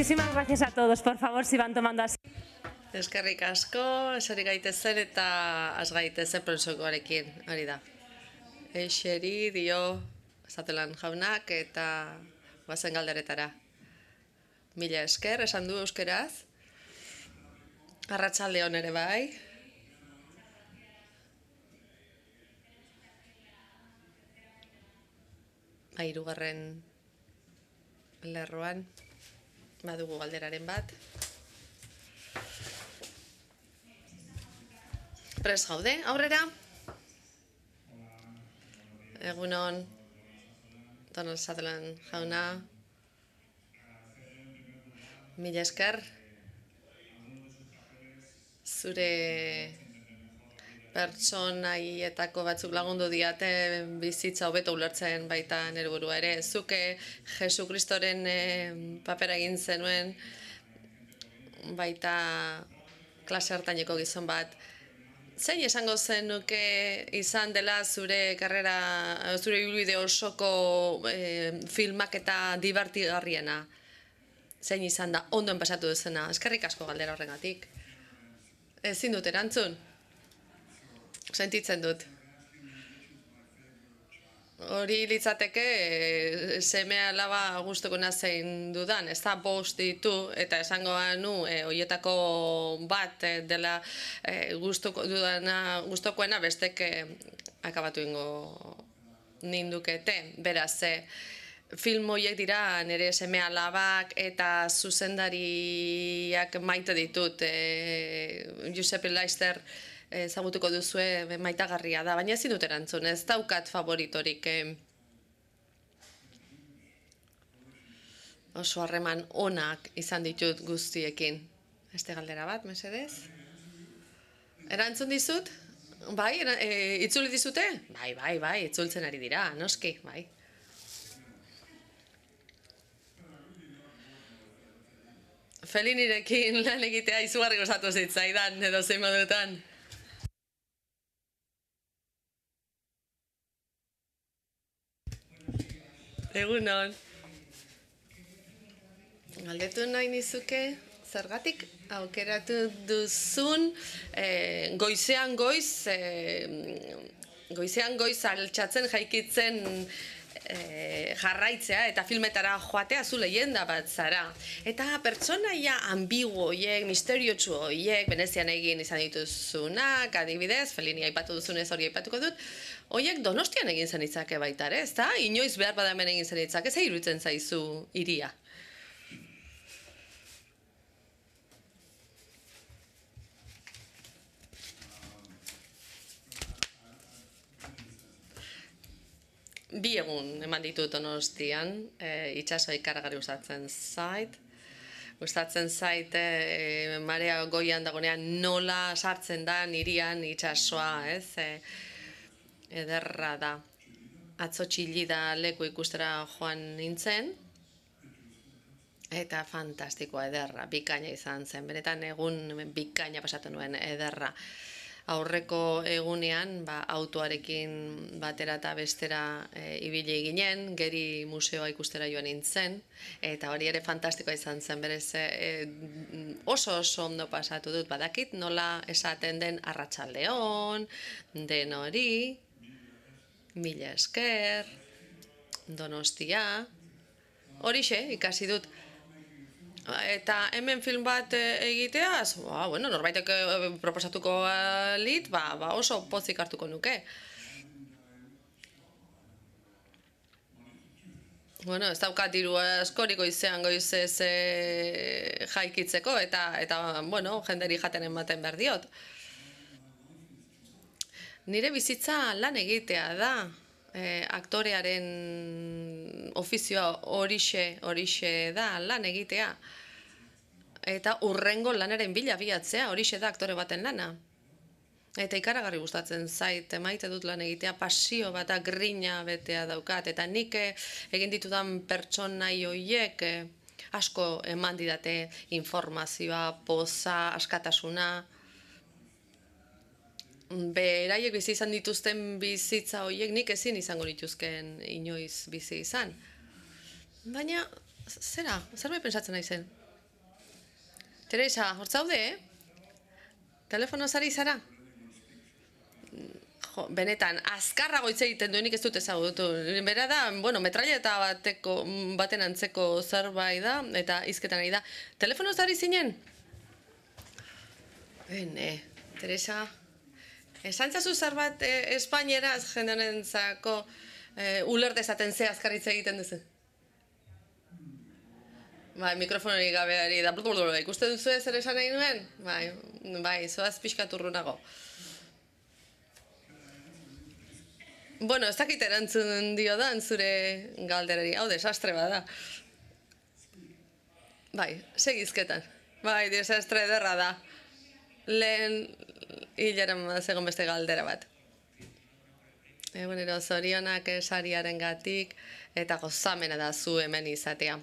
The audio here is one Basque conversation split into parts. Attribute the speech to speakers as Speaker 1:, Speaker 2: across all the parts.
Speaker 1: Muchísimas gracias a todos. Por favor, si van tomando asiento.
Speaker 2: Eskerrik asko, eseri gaitezen eta az gaitezen prozesuarekin, hori da. Eseri dio Zatelan jaunak eta guazen galderetara. Mila esker, esan du euskeraz. Arratsalde on ere bai. Hirugarren lerroan badugu galderaren bat. Prest gaude, aurrera. Egunon, Donald Sutherland jauna. Mila esker. Zure pertsonaietako batzuk lagundu diate bizitza hobeto ulertzen baita nire burua ere. Zuke Jesu Kristoren papera egin zenuen baita klase hartaineko gizon bat. Zein esango zenuke izan dela zure karrera, zure ibilbide osoko filmak eta divertigarriena? Zein izan da ondoen pasatu duzena? Eskerrik asko galdera horregatik. Ezin dut erantzun? Sentitzen dut. Hori litzateke seme alaba gustuko zein dudan, ez da bost ditu eta esango nu horietako bat dela gustukoena bestek akabatu ingo nindukete. Beraz, film horiek dira nire seme alabak eta zuzendariak maite ditut. Giuseppe Leister ezagutuko duzue maitagarria da, baina ezin dut erantzun, ez daukat favoritorik. Oso harreman onak izan ditut guztiekin. Beste galdera bat, mesedez? Erantzun dizut? Bai, itzuli dizute? Bai, itzultzen ari dira, noski, bai. Felinirekin lan egitea izugarri gozatu zitzaidan, edo zein modutan. Egunon. Galdetu nahi nizuke, zergatik aukeratu duzun goizean goiz altxatzen jaikitzen jarraitzea eta filmetara joatea zu leyenda bat zara. Eta pertsonaia ambiguo horiek, misteriotsu horiek, Venezian egin izan dituzunak, adibidez, Fellini aipatu duzunez hori aipatuko dut, horiek Donostian egin zen itzake baita ere, ezta? Inoiz behar bada hemen egin zen itzake, ze iruditzen zaizu hiria? Bi egun eman ditut Donostian, itsasoa ikaragarri gustatzen zait. Gustatzen zait marea goian dagonean nola sartzen da hirian itsasoa, ez? Ederra da. Atzo Txillida leku ikustera joan nintzen, eta fantastikoa, ederra, bikaina izan zen. Benetan egun bikaina pasatu nuen, ederra. Aurreko egunean autoarekin batera eta bestera ibili ginen, Geri museoa ikustera joan nintzen, eta hori ere fantastikoa izan zen, berez oso ondo pasatu dut, badakit nola esaten den arratsaldeon, den hori, mila esker, Donostia, horixe ikasi dut. Eta hemen film bat egiteaz, norbaitek proposatuko lit, oso pozik hartuko nuke. Ez daukat diru askorik goizez jaikitzeko, eta jenderi jaten ematen behar diot. Nire bizitza lan egitea da, aktorearen ofizioa horixe da lan egitea. Eta urrengo lanaren bila bilatzea, horixe da aktore baten lana. Eta ikaragarri gustatzen zait, maite dut lan egitea, pasio bat, grina betea daukat, eta nik egin ditudan pertsonai horiek asko eman didate informazioa, poza, askatasuna. Beraiek bizi izan dituzten bizitza horiek nik ezin izango nituzken inoiz bizi izan. Baina, zer bai pentsatzen nahi zen? Teresa, hor zaude, Telefonoz ari zara? Jo, benetan, azkarrago hitz egiten duenik ez dut ezagutu. Bera da, bueno, metralleta baten antzeko zerbait da, eta hizketan ari da. Telefonoz ari zinen? Teresa, esan zazu zerbait espainieraz jende honentzako uler dezaten ze azkarritza egiten duzu? Bai, mikrofonori gabeari da, ikusten duzu zer esan nahi nuen? Bai, zoaz pixkat urrunago. Bueno, ez dakit erantzun dio da, zure galderari, hau desastre bada. Bai, segizketan. Bai, desastre ederra da. Lehen hilaren zegoen beste galdera bat. Egunero, zorionak sariaren gatik, eta gozamena da zu hemen izatea.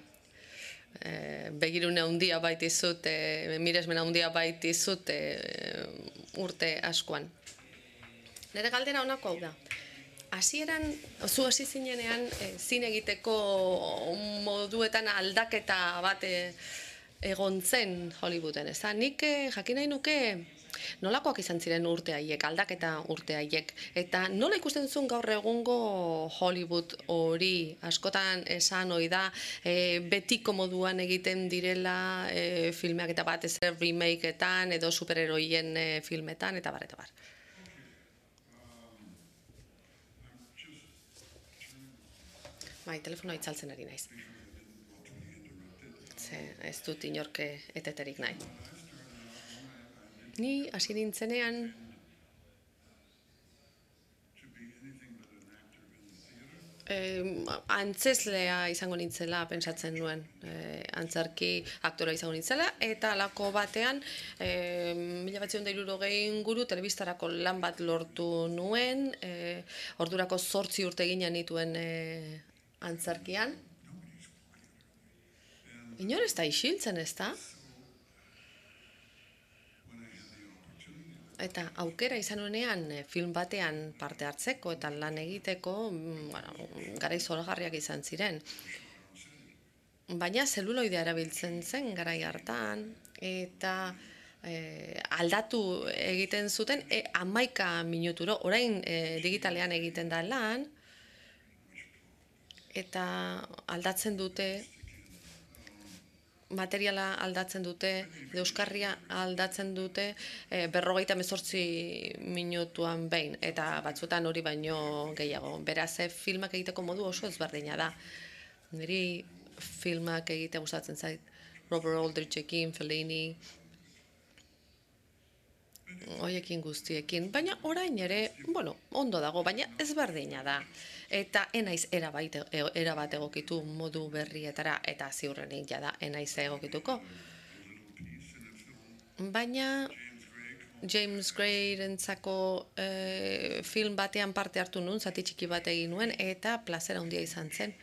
Speaker 2: Begirune handia baitizut, miresmena handia baitizut urte askoan. Nire galdera honako hau da. Hasieran, zu hasi zinenean, zine egiteko moduetan aldaketa bat egon zen Hollywooden, ez da? Nik jakin nahi nuke nolakoak izan ziren urte haiek, aldaketa urte haiek, eta nola ikusten zuen gaur egungo Hollywood hori, askotan esan ohi da, betiko moduan egiten direla filmeak eta bat ez remakeetan edo superheroien filmetan, eta bar, eta bar. Bai, telefonoa itzaltzen ari naiz. Ez dut inork eteterik nahi. Ni hasi nintzenean antzeslea izango nintzela pentsatzen nuen. Antzerki aktorea izango nintzela, eta halako batean 1960 inguru telebistarako lan bat lortu nuen, ordurako 8 urte ginen nituen antzerkian. Inor ez da isiltzen, ez da? Eta aukera izan nuenean film batean parte hartzeko eta lan egiteko, garai zoragarriak izan ziren. Baina zeluloidea erabiltzen zen garai hartan, eta aldatu egiten zuten 11 minuturo, orain digitalean egiten da lan, eta aldatzen dute, materiala aldatzen dute, euskarria aldatzen dute 58 minutuan behin, eta batzutan hori baino gehiago. Beraz, filmak egiteko modu oso ezberdina da. Niri filmak egitea gustatzen zait, Robert Aldrichekin, Fellini, hoiekin guztiekin, baina orain ere, ondo dago, baina ezberdina da. Eta enaiz erabat egokitu modu berrietara, eta ziurrenik jada enaiz egokituko. Baina James Gray-rentzako film batean parte hartu nuen, zati txiki bat egin nuen, eta plazera handia izan zen.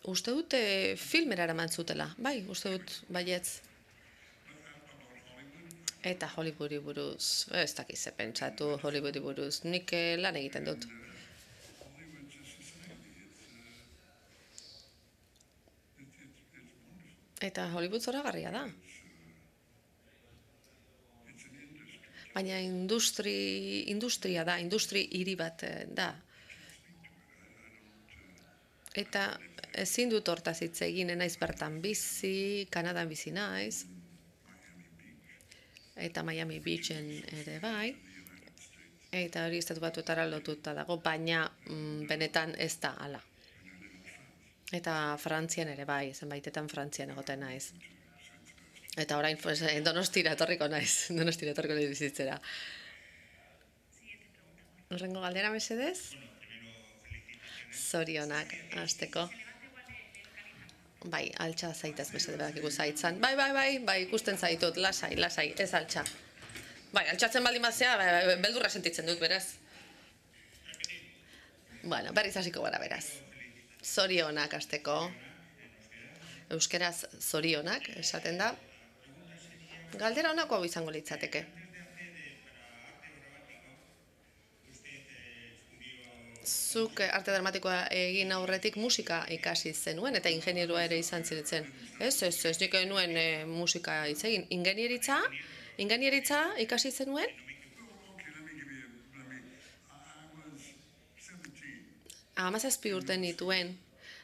Speaker 2: Uste dut filmera eraman zutela, bai, uste dut baietz. Eta Hollywoodi buruz, ez dakiz ze pentsatu Hollywoodi buruz, nik lan egiten dut. Eta Hollywood zoragarria da. Baina industria da, industri hiri bat da. Eta ezin dut hortaz hitz egin, naiz bertan bizi, Kanadan bizi naiz, eta Miami Beachen ere bai, eta hori Estatu Batuetara lotuta dago, baina benetan ez da hala. Eta Frantzian ere bai, zenbaitetan Frantzian egoten naiz. Eta orain Donostira etorriko naiz bizitzera. Horrengo galdera mesedez? Zorionak, hasteko. Bai, altxa zaitez mesede badakigu zaitzan. Bai, ikusten zaitut, lasai, ez altxa. Bai, altxatzen baldin bazea, beldurra sentitzen dut, beraz. Bueno, berriz hasiko gara, beraz. Zorionak hasteko. Euskeraz zorionak esaten da. Galdera honako hau izango litzateke. zuk arte dramatikoa egin aurretik musika ikasi zenuen, eta ingenierua ere izan ziretzen. Ez, nik nuen musika hitz egin. Ingenieritza ikasi zenuen? Hamazazpi urte nituen,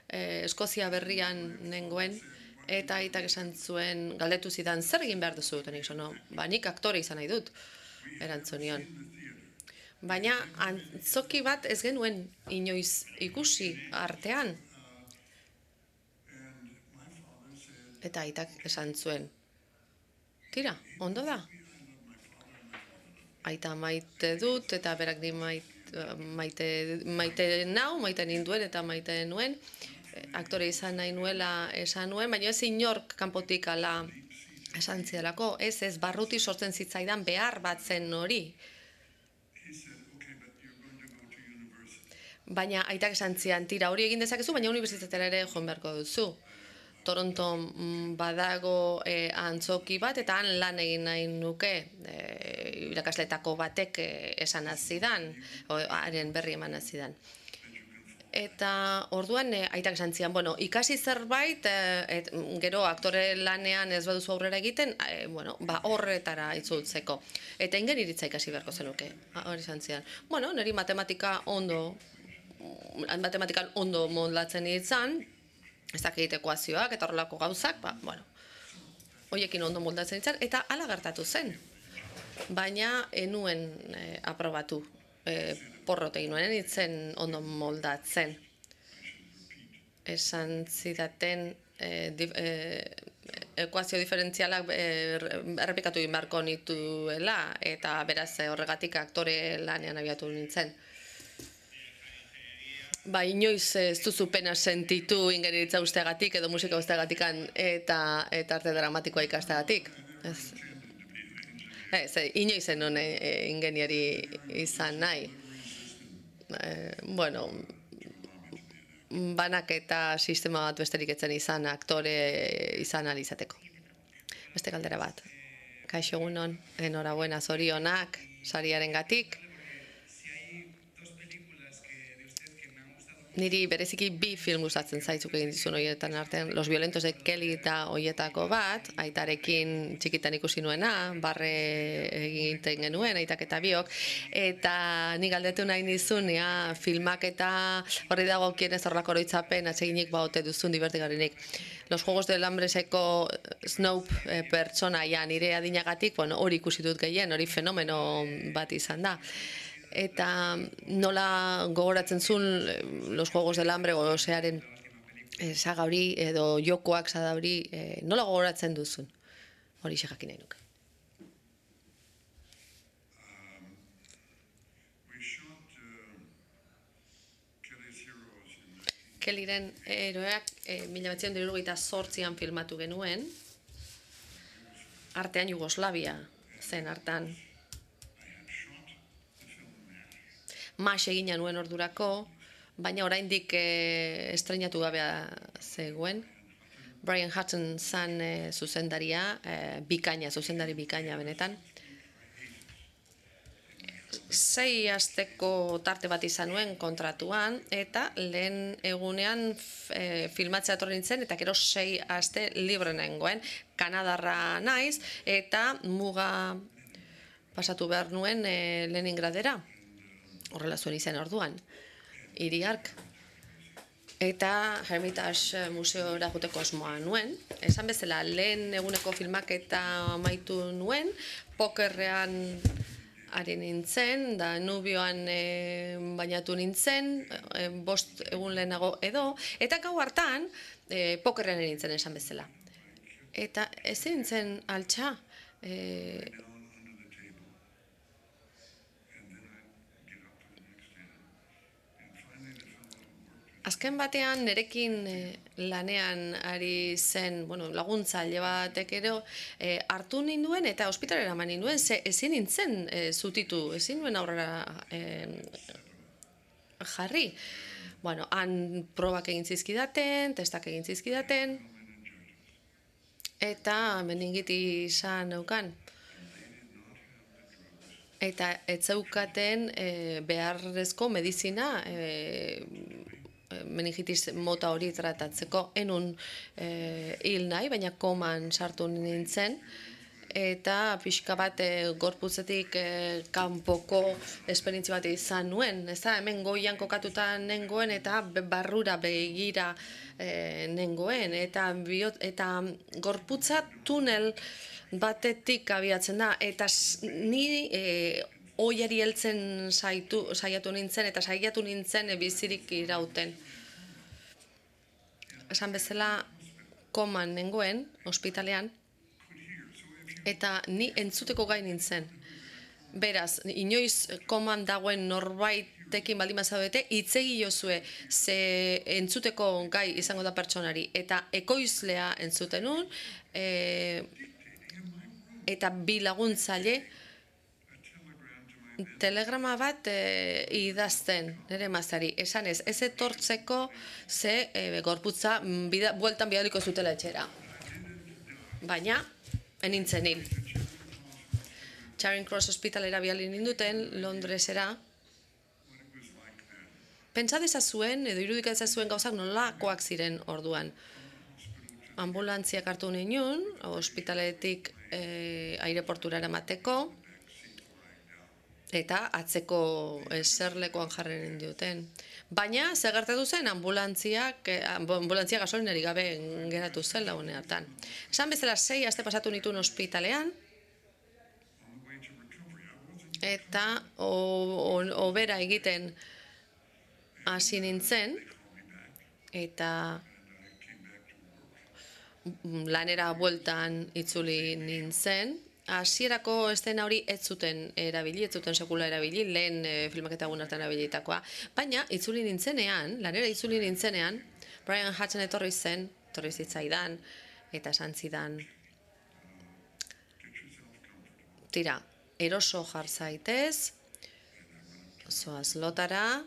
Speaker 2: Eskozia berrian nengoen, eta aitak esan zuen, galdetu zidan, zer egin behar duzu? Eta nik nik aktore izan nahi dut, erantzunion. Baina antzoki bat ez genuen inoiz ikusi artean. Eta aitak esan zuen, tira, ondo da. Aita maite dut, eta berak di maite ninduen eta maite nuen. Aktore izan nahi nuela esan nuen, baina ez inork kanpotik ala esan zidalako. Ez, barruti sortzen zitzaidan behar bat zen hori. Baina aitak esan zian, tira hori egin dezakezu, baina unibertsitatera ere joan beharko duzu. Toronton badago antzoki bat, eta han lan egin nahi nuke, irakasletako batek esan azidan, haren berri eman azidan. Eta orduan aitak esan zian, ikasi zerbait, gero aktore lanean ez baduzu aurrera egiten, horretara itzultzeko. Eta ingeniritza ikasi beharko zenuke, hori esan zian. Niri matematikan ondo moldatzen izan, ez dakit ekuazioak eta horrelako gauzak, horiekin ondo moldatzen izan, eta hala gertatu zen. Baina enuen aprobatu, porrot egin nuen, itzen ondo moldatzen. Esan zidaten ekuazio diferentzialak errepikatu egin beharko nituela, eta beraz horregatik aktore lanean abiatu nintzen. Inoiz ez duzu pena sentitu ingeniritza usteagatik edo musika usteagatikan eta arte dramatikoa ikasteagatik. Inoiz zenun ingenieri izan nahi. Banak eta sistema bat besterik etzen izan aktore izan alizateko. Beste galdera bat. Kaixo egunon, enhorabuena zorionak, sariaren gatik. Niri bereziki bi film gustatzen zaitzuk egin dizun horietan artean, Los violentos de Kelly eta hoietako bat, aitarekin txikitan ikusi nuena, barre egiten genuen, aitak eta biok, eta nik galdetu nahi nizun, filmak eta horri dago kienez horrelako oroitzapen atseginik baote duzun divertigarrinik. Los Juegos del Hambreseko Snope pertsonaia nire adinagatik, hori ikusi dut gehien, hori fenomeno bat izan da. Eta nola gogoratzen zuen Los Juegos del Hambre gozearen saga hori edo jokoak saga hori nola gogoratzen duzun? Hori jakin nahi nuke. Kellyren heroeak 1978an filmatu genuen, artean Jugoslavia zen hartan. Mas egina nuen ordurako, baina oraindik estreinatu gabea zegoen. Brian Hudson zan zuzendaria, zuzendari bikaina benetan. 6 asteko tarte bat izan nuen kontratuan, eta lehen egunean filmatzea etorri nintzen, eta gero 6 aste libre nengoen. Kanadarra naiz, eta muga pasatu behar nuen Leningradera. Horrela zuen izan orduan, hiri hark. Eta Hermitage museora joteko asmoa nuen. Esan bezala, lehen eguneko filmaketa amaitu nuen, pokerrean ari nintzen, da nubioan bainatu nintzen, 5 egun lehenago edo, eta gau hartan pokerrean ari nintzen esan bezala. Eta ezin nintzen altxa, azken batean nerekin lanean ari zen laguntzaile batek ero hartu ninduen eta ospitalera eman ninduen, ezin nintzen zutitu, ezin nuen aurrera jarri. Han probak egin zizkidaten, testak egin zizkidaten, eta meningiti izan neukan. eta ez zeukaten beharrezko medizina meningitis mota hori tratatzeko. Enun hil nahi, baina koman sartu nintzen, eta pixka bat gorputzetik kanpoko esperientzia bat izan nuen. Ez da, hemen goian kokatuta nengoen eta barrura begira nengoen. Eta gorputza tunel batetik abiatzen da. Eta ni oiari heltzen saiatu nintzen eta saiatu nintzen bizirik irauten. Esan bezala koman nengoen, ospitalean, eta ni entzuteko gai nintzen. Beraz, inoiz koman dagoen norbaitekin baldin bazaudete, hitz egiozue ze entzuteko gai izango da pertsonari. Eta ekoizlea entzuten nun, eta bi laguntzaile telegrama bat idazten nire emazteari. Esan ez etortzeko ze gorputza bueltan bidaliko zutela etxera. Baina, enintzen hil. Charing Cross Hospitalera bidali ninduten, Londresera. Pentsa dezazuen, edo irudika dezazuen gauzak nolakoak ziren orduan. Ambulantziak hartu ninun, ospitaletik aireportura eramateko, eta atzeko eserlekoan jarri ninduten. Baina, zer gertatu zen, ambulantzia gasolinari gabe geratu zen lagune hartan. Esan bezala 6 aste pasatu nituen ospitalean, eta hobera egiten hasi nintzen, eta lanera bueltan itzuli nintzen. Hasierako estena hori ez zuten erabili, ez zuten sekula erabili, lehen filmaketa egun hartan erabilitakoa. Baina, itzuli nintzenean, lanera itzuli nintzenean, Brian Hutton etorri zitzaidan, eta esan zidan, tira, eroso jar zaitez, zoaz lotara,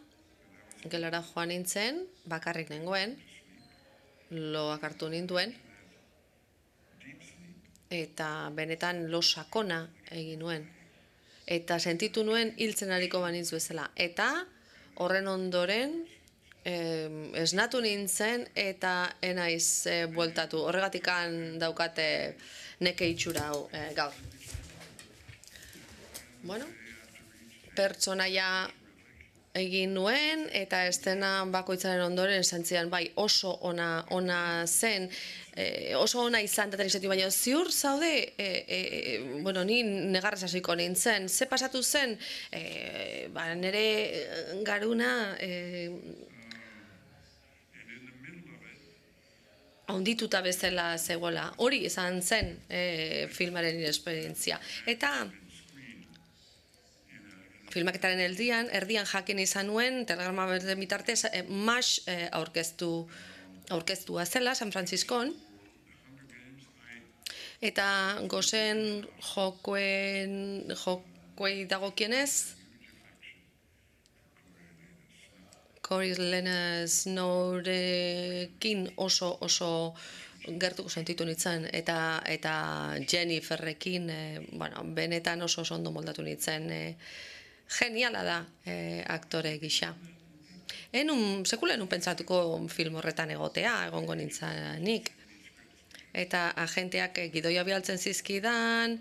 Speaker 2: gelara joan nintzen, bakarrik nengoen, loak hartu ninduen, eta benetan lo sakona egin nuen. Eta sentitu nuen hiltzen ariko banitz bezala. Eta horren ondoren esnatu nintzen eta enaiz bueltatu. Horregatikan daukate neke itxura hau gaur. Bueno, pertsonaia egin nuen eta estena bakoitzaren ondoren santzian bai oso ona zen, oso ona izan daten izatik, baina ziur zaude, ni negarrez hasiko nintzen, ze pasatu zen, nire garuna haundituta bezala zegoela, hori izan zen filmaren esperientzia. Eta filmaketaren erdian jakin izan nuen, telegrama berden bitartez, MASH aurkeztua zela, San Franciscon, eta gozen jokoei dagokienez, Corey Snowrekin oso gertuko sentitu nintzen, eta Jenniferrekin, benetan oso ondo moldatu nintzen, geniala da aktore gisa. Sekula enun pentsatuko film horretan egongo nintzanik. Eta agenteak gidoia bialtzen zizkidan,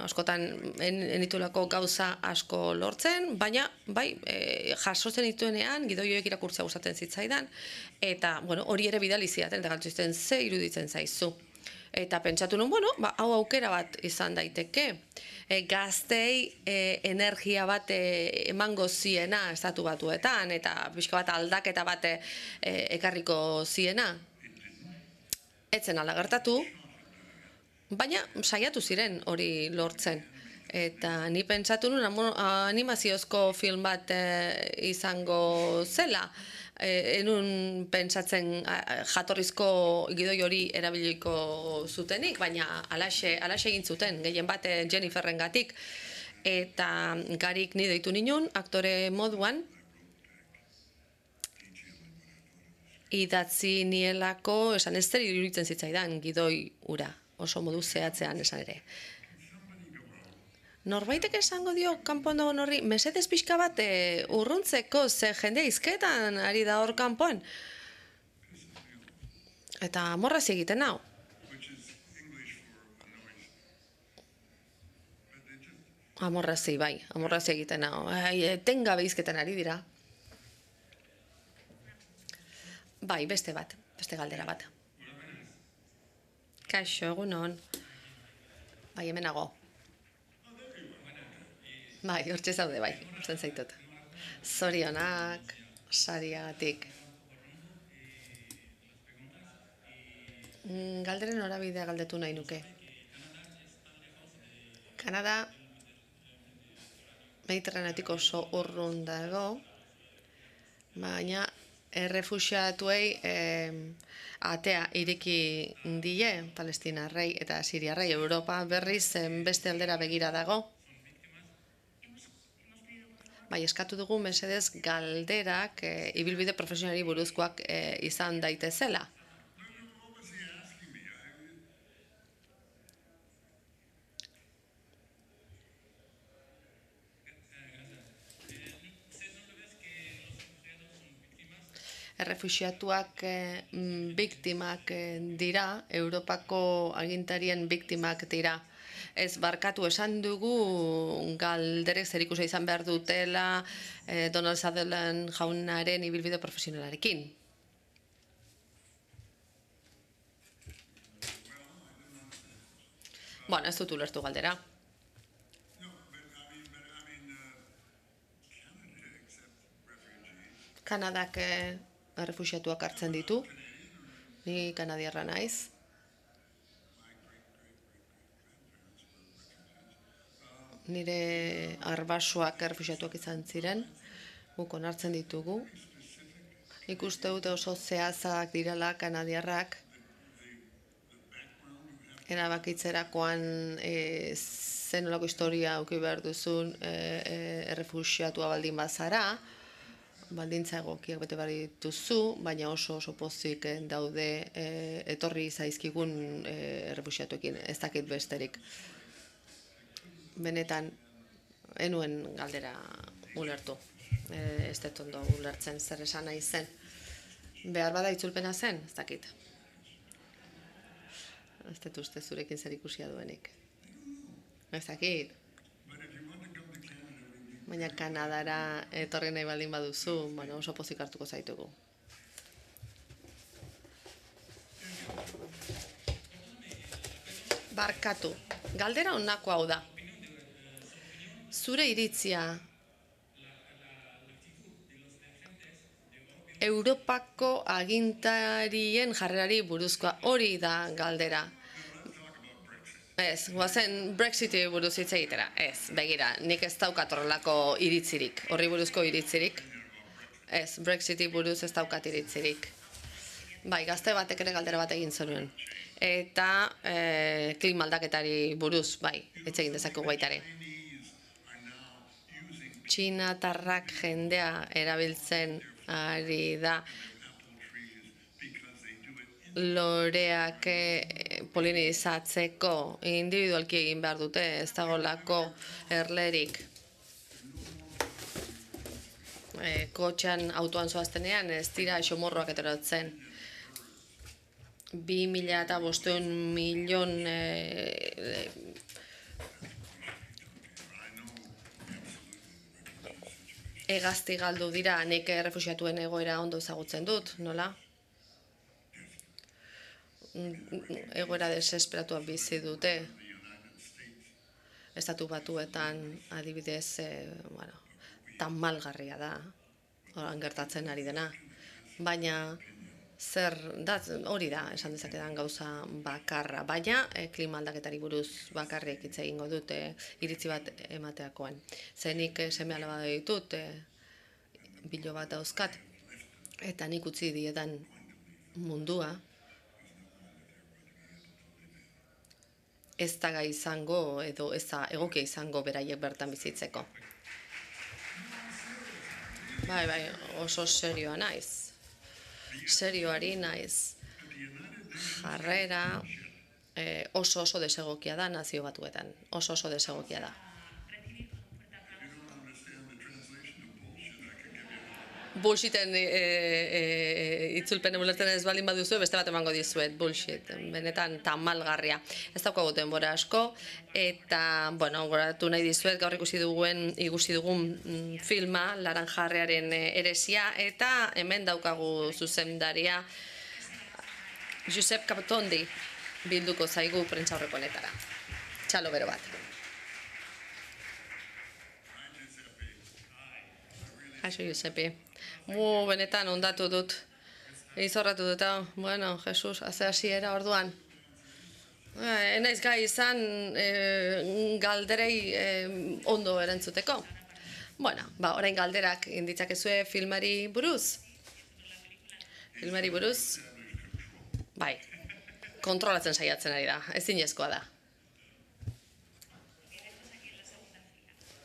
Speaker 2: askotan enitulako gauza asko lortzen, baina bai, jasotzen dituenean gidoioek irakurtzea gustatzen zitzaidan, eta hori ere bidali zidaten, eta galtzizten ze iruditzen zaizu. Eta pentsatu nuen, hau aukera bat izan daiteke. Gaztei energia bat emango ziena estatu batuetan, eta pixka bat aldaketa bat ekarriko ziena. Etzen ala gertatu, baina saiatu ziren hori lortzen. Eta ni pentsatu nuen animaziozko film bat izango zela. Enun pentsatzen jatorrizko gidoi hori erabiliko zutenik, baina alaxe egin zuten, gehien bat Jenniferren gatik. Eta garik ni deitu ninun, aktore moduan, idatzi nielako, esan ez zer iruditzen zitzaidan gidoi ura, oso modu zehatzean esan ere. Norbaitek esango dio kanpoan dagoen horri, mesedez pixka bat urruntzeko, ze jende izketan ari da hor kanpoan. Eta amorrazi egiten hau. Amorrazi, bai, amorrazi egiten hau. Etengabe izketan ari dira. Bai, beste galdera bat. Kaixo, egunon. Bai, hemenago. Bai, hortxe zaude, bai, usten zaitut. Zorionak, sariagatik. Galderen norabidea galdetu nahi nuke. Kanada Mediterraneotik oso urrun dago, baina errefuxiatuei atea ireki die palestinarrei eta siriarrei. Europa berriz beste aldera begira dago. Bai, eskatu dugu mesedez galderak ibilbide profesionali buruzkoak izan daitezela. Errefuxiatuak biktimak dira, Europako agintarien biktimak dira. Ez barkatu esan dugu galderek zerikusia izan behar dutela Donald Sutherland jaunaren ibilbide profesionalarekin. Bueno, ez dut ulertu galdera. Kanadak errefuxiatuak hartzen ditu. Ni kanadiarra naiz. Nire arbasoak errefuxiatuak izan ziren. Guk onartzen ditugu. Ikuste dute oso zehazak direla kanadiarrak. Erabakitzerakoan zenolako historia auki behar duzun errefuxiatua baldin bazara. Baldintza egokiak bete behar dituzu, baina oso pozik daude etorri zaizkigun errefuxiatuekin, ez dakit besterik. Benetan, enuen galdera ulertu, ez dut ondo ulertzen zer esan nahi zen. Behar bada itzulpena zen, ez dakit. Ez dut uste zurekin zer ikusia duenik. Ez dakit. Baina Kanadara etorri nahi baldin baduzu, oso pozik hartuko zaitugu. Barkatu, galdera honako hau da. Zure iritzia Europako agintarien jarrerari buruzkoa, hori da galdera. Ez, guazen Brexiti buruz hitz egitera. Ez, begira, nik ez daukat horrelako iritzirik, horri buruzko iritzirik. Ez, Brexiti buruz ez daukat iritzirik. Bai, gazte batek ere galdera bat egin zenuen. Eta klima aldaketari buruz, bai, hitz egin dezakegu baita ere. Txinatarrak jendea erabiltzen ari da loreak polinizatzeko individualki egin behar dute, ez dagoelako erlerik. Kotxean autoan zoaztenean ez dira xomorroak eterotzen. 2.500 milion hegazti galdu dira, nik errefuxiatuen egoera ondo ezagutzen dut, nola? Egoera desesperatuak bizi dute. Estatu Batuetan adibidez, tamalgarria da, horan gertatzen ari dena. Baina zer da, hori da, esan dezakedan gauza bakarra. Baina klima aldaketari buruz bakarrik hitz egingo dut iritzi bat emateakoan. Zenik seme alaba ditut, bilo bat dauzkat, eta nik utzi diedan mundua, ez da gai izango edo ez da egokia izango beraiek bertan bizitzeko. Bai, oso serioa naiz. Serioari naiz. Jarrera oso desegokia da Nazio Batuetan. Oso desegokia da. bullshiten itzulpene ulertzen ez baldin baduzu, beste bat emango dizuet, bullshit, benetan tamalgarria. Ez daukagu denbora asko, eta, bueno, goratu nahi dizuet, gaur ikusi dugun filma, Laranjarrearen Heresia, eta hemen daukagu zuzendaria, Josep Capotondi bilduko zaigu prentsaurreko honetara. Txalo bero bat. Kaixo, Josepi. Benetan ondatu dut. Izorratu dut, bueno, Jesus, haze hasiera orduan. Enaiz gai izan galderei ondo erantzuteko. Bueno, orain galderak inditzakezue filmari buruz. Filmari buruz, bai, kontrolatzen saiatzen ari da, ezinezkoa da.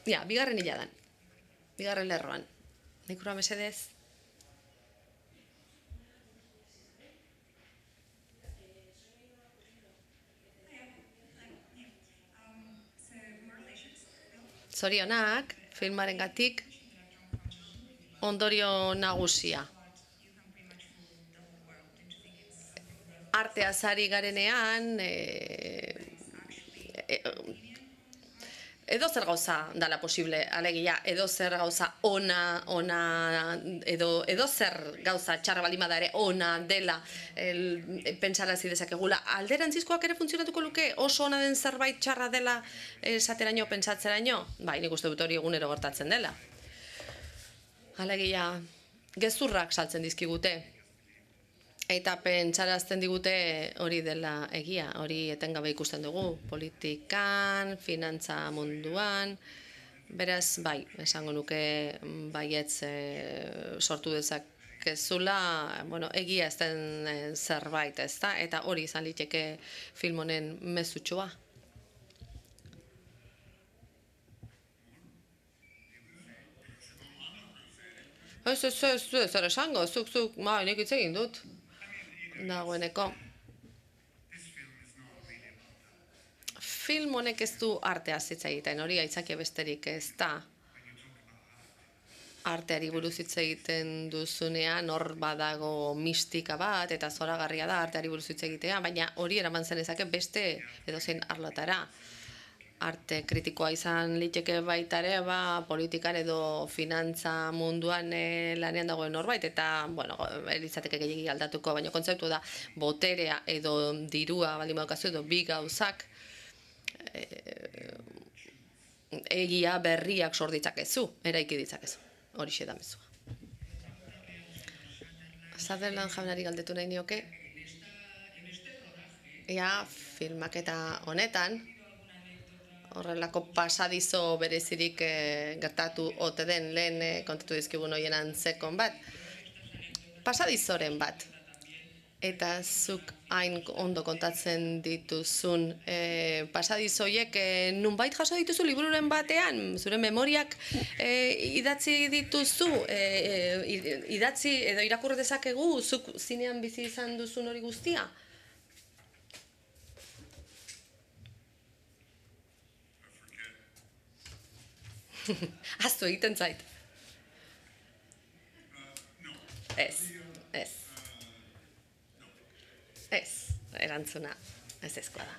Speaker 2: Ja, bigarren hiladan, bigarren lerroan. Nikura mesedez. Zorionak, filmarengatik, ondorio nagusia. Arteaz ari garenean, edo zer gauza dala posible, alegia, edo zer gauza ona, edo zer gauza txarra baldin bada ere ona dela pentsarazi dezakegula. Alderantzizkoak ere funtzionatuko luke, oso ona den zerbait txarra dela esateraino, pentsatzeraino? Bai, nik uste dut hori egunero gertatzen dela. Alegia, gezurrak saltzen dizkigute. Eta pentsarazten digute hori dela egia, hori etengabe ikusten dugu, politikan, finantza munduan, beraz, bai, esango nuke baietz sortu dezakezula, bueno, egia ez den zerbait, ezta? Eta hori izan liteke film honen mezutxoa. Ez, zer esango, zuk, nik hitz egin dut. Dagoeneko. Film honek ez du arteaz hitz egiten, hori aitzakia besterik ez da. Arteari buruz hitz egiten duzunean hor badago mistika bat eta zoragarria da arteari buruz hitz egitea, baina hori eraman zenezake beste edozein arlotara. Arte kritikoa izan liteke baita ere, politikan edo finantza munduan lanean dagoen norbait, eta, bueno, elizateke gehiagi aldatuko, baina kontzeptu da, boterea edo dirua, baldin badaukazu edo bi gauzak, egia berriak sor ditzakezu, eraiki ditzakezu, horixe da mezua. Sutherland jaunari galdetu nahi nioke, filmaketa honetan, horrelako pasadizo berezirik gertatu ote den lehen kontatu dizkigun hoien antzekon bat. Pasadizoren bat. Eta zuk hain ondo kontatzen dituzun pasadizoiek nunbait jaso dituzu libururen batean, zure memoriak idatzi dituzu, idatzi edo irakur dezakegu zuk zinean bizi izan duzun hori guztia? Aztu egiten zait. Ez, erantzuna ez ezkoa da.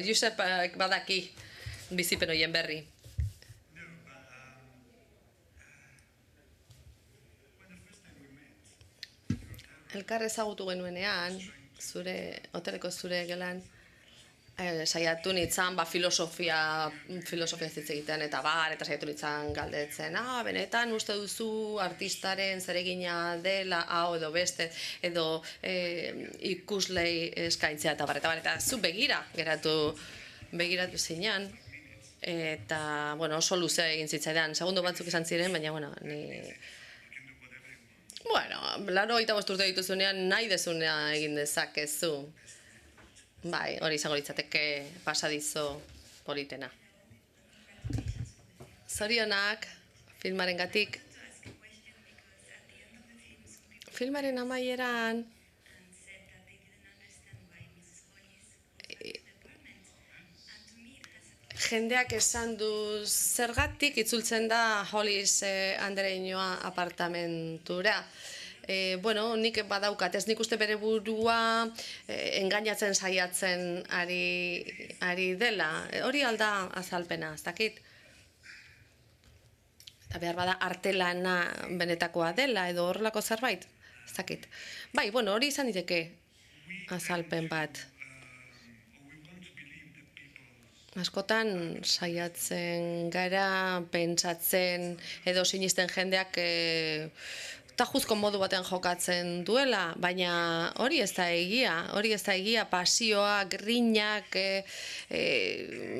Speaker 2: Josep badaki bizipen horien berri. Elkar ezagutu genuenean, hoteleko zure gelan, saiatu nintzen filosofia hitz egiten eta saiatu nintzen galdetzen, benetan uste duzu artistaren zeregina dela hau edo beste edo ikuslei eskaintzea eta zu begiratu zinean eta oso luze egin zitzaidan, segundo batzuk izan ziren, baina ni 85 urte dituzunean nahi dezunea egin dezakezu. Bai, hori izango litzateke pasadizo politena. Zorionak, filmarengatik. Filmaren amaieran jendeak esan du zergatik itzultzen da Hollis andereñoa apartamentura. Bueno, nik badaukat, ez nik uste bere burua engainatzen saiatzen ari dela. Hori alda azalpena, ez dakit. Eta behar bada artelana benetakoa dela edo horrelako zerbait, ez dakit. Bai, bueno, hori izan diteke azalpen bat. Askotan saiatzen gara, pentsatzen edo sinisten jendeak tajuzko modu baten jokatzen duela, baina hori ez da egia, pasioa, grinak,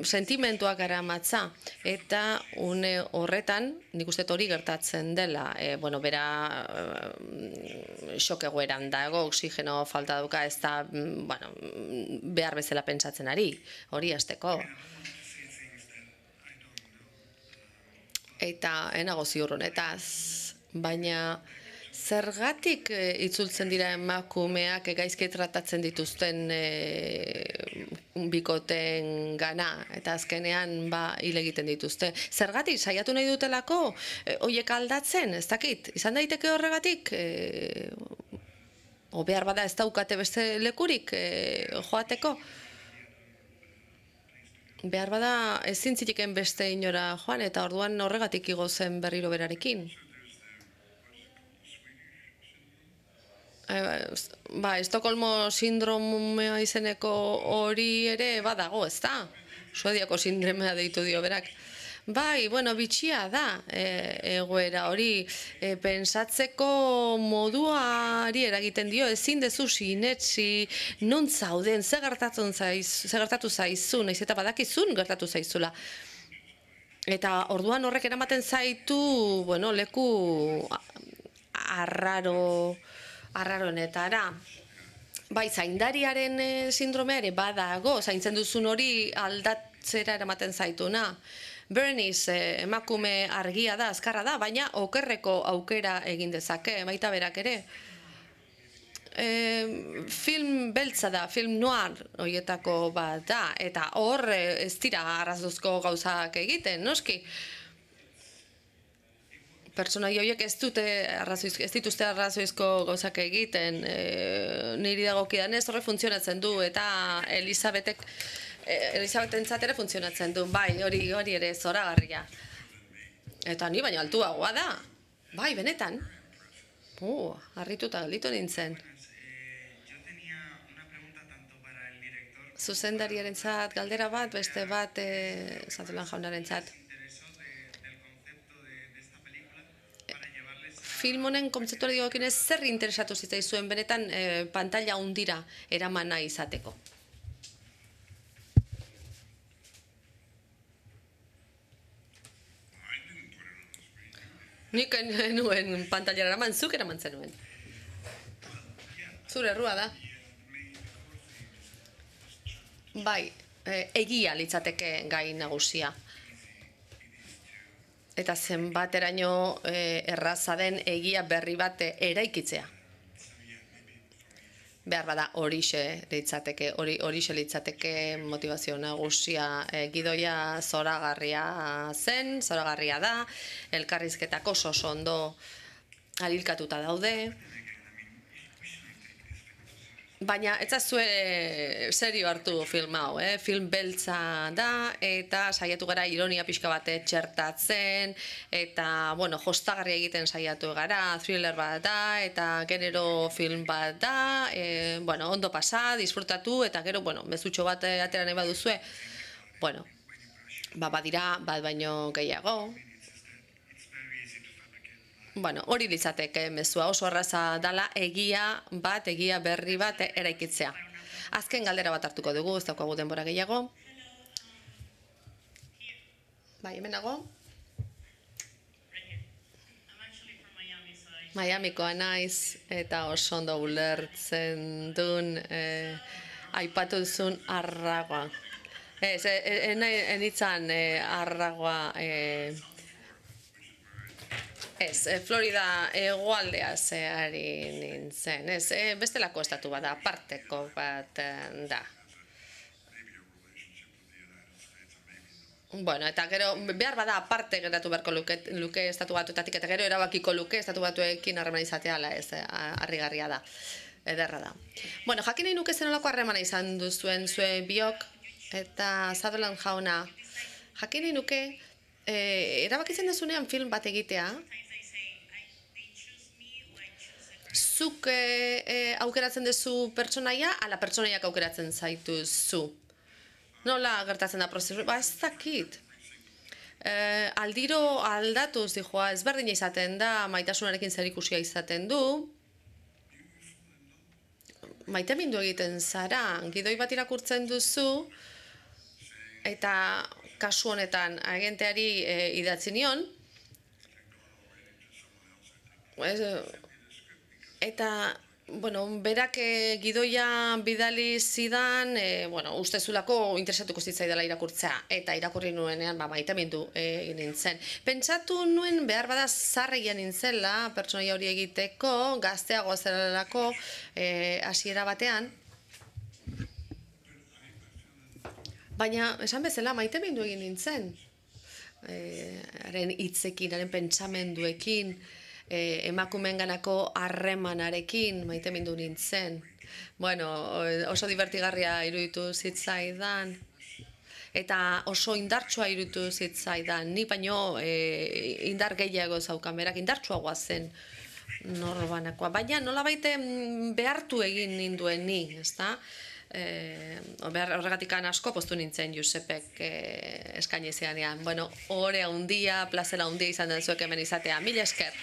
Speaker 2: sentimentuak garamatza. Eta une horretan, nik uste hori gertatzen dela, bera xok egoeran dago, oxigeno falta duka, ez da, behar bezala pentsatzen ari, hori hasteko. Eta enago ziur honetaz, baina zergatik itzultzen dira emakumeak gaizki tratatzen dituzten bikoten gana, eta azkenean hil egiten dituzte. Zergatik saiatu nahi dutelako horiek aldatzen, ez dakit, izan daiteke horregatik, o behar bada ez daukate beste lekurik joateko. Behar bada ezin zitiken beste inora joan, eta orduan horregatik igo zen berriro berarekin. Estokolmo sindromea izeneko hori ere badago, ez da? Suediako sindromea deitu dio berak. Bai, bitxia da egoera hori, pensatzeko moduari eragiten dio, ezin dezu sinetsi, non zauden, ze gertatu zaizu, nahiz eta badakizun gertatu zaizula. Eta orduan horrek eramaten zaitu, leku arraroenetara. Bai, zaindariaren sindromea ere badago, zaintzen duzun hori aldatzera eramaten zaituna. Bernice emakume argia da, azkarra da, baina okerreko aukera egin dezake, baita berak ere. Film beltza da, film noir horietako bat da, eta hor ez dira arrazuzko gauzak egiten, noski? Pertsonai horiek ez dituzte arrazoizko gauzak egiten, niri dagokidanez horre funtzionatzen du, eta Elisabetentzat ere funtzionatzen du, bai, hori ere zoragarria. Eta ni baina altuagoa da, bai, benetan. Harrituta gelditu nintzen. Zuzendariarentzat galdera bat, beste bat Sutherland jaunarentzat. Film honen kontzeptuari dagokionez zer interesatu zitzaizuen benetan pantalla hundira eraman nahi izateko? Nik nuen pantailara eraman, zuk eraman zenuen. Zure errua da. Bai, egia litzateke gai nagusia. Eta zenbateraino erraza den egia berri bat eraikitzea. Behar bada horixe litzateke motivazio nagusia. Gidoia zoragarria da, elkarrizketak oso ondo alilkatuta daude. Baina ez zazue serio hartu film hau, film beltza da, eta saiatu gara ironia pixka bat txertatzen, eta, jostagarria egiten saiatu gara, thriller bat da, eta genero film bat da, ondo pasa, disfrutatu, eta gero, mezutxo bat atera nahi baduzue, badira, bat baino gehiago. Hori litzateke mezua, oso erraza dala egia berri bat eraikitzea. Azken galdera bat hartuko dugu, ez daukagu denbora gehiago. Bai, hemen nago. Miamikoa naiz, eta oso ondo ulertzen duen aipatu duzun arragoa. Ez, enitzan arragoa... Ez, Florida hegoaldea zehari nintzen, ez, bestelako estatu bat da, aparteko bat da. Bueno, eta gero, behar bada aparte geratu beharko luke estatu batuetatik, eta gero erabakiko luke estatu batuekin harremana izatea, ala ez, harrigarria da, ederra da. Bueno, jakin nahi nuke zenolako harremana izan duzuen zuen biok, eta Sutherland jauna, jakin nahi nuke, erabakitzen dezunean film bat egitea, zuk aukeratzen duzu pertsonaia, ala pertsonaiak aukeratzen zaituzu. Nola gertatzen da prozesu? Ba, ez dakit. Aldiro aldatuz, dijoa, ezberdina izaten da, maitasunarekin zerikusia izaten du. Maitemindu egiten zara, gidoi bat irakurtzen duzu, eta kasu honetan agenteari idatzi nion, eta bueno, berak gidoia bidali zidan, ustezulako interesatuko zitzaidala irakurtzea, eta irakurri nuenean maitemindu egin nintzen. Pentsatu nuen behar bada zarregia nintzela, pertsonaia hori egiteko, gazteagoa zerelako hasiera batean. Baina, esan bezala, maitemindu egin nintzen. Haren hitzekin, haren pentsamenduekin, emakumeenganako harremanarekin maitemindu nintzen. Bueno, oso divertigarria iruditu zitzaidan, eta oso indartsua iruditu zitzaidan. Ni baino indar gehiago zaukan, berak indartsuagoa zen norbanakoa. Baina nolabait behartu egin ninduen ni, ezta? Horregatik asko poztu nintzen Josepek eskaini zidanean. Bueno, ohore handia, plazera handia izan den zuek hemen izatea. Mila esker!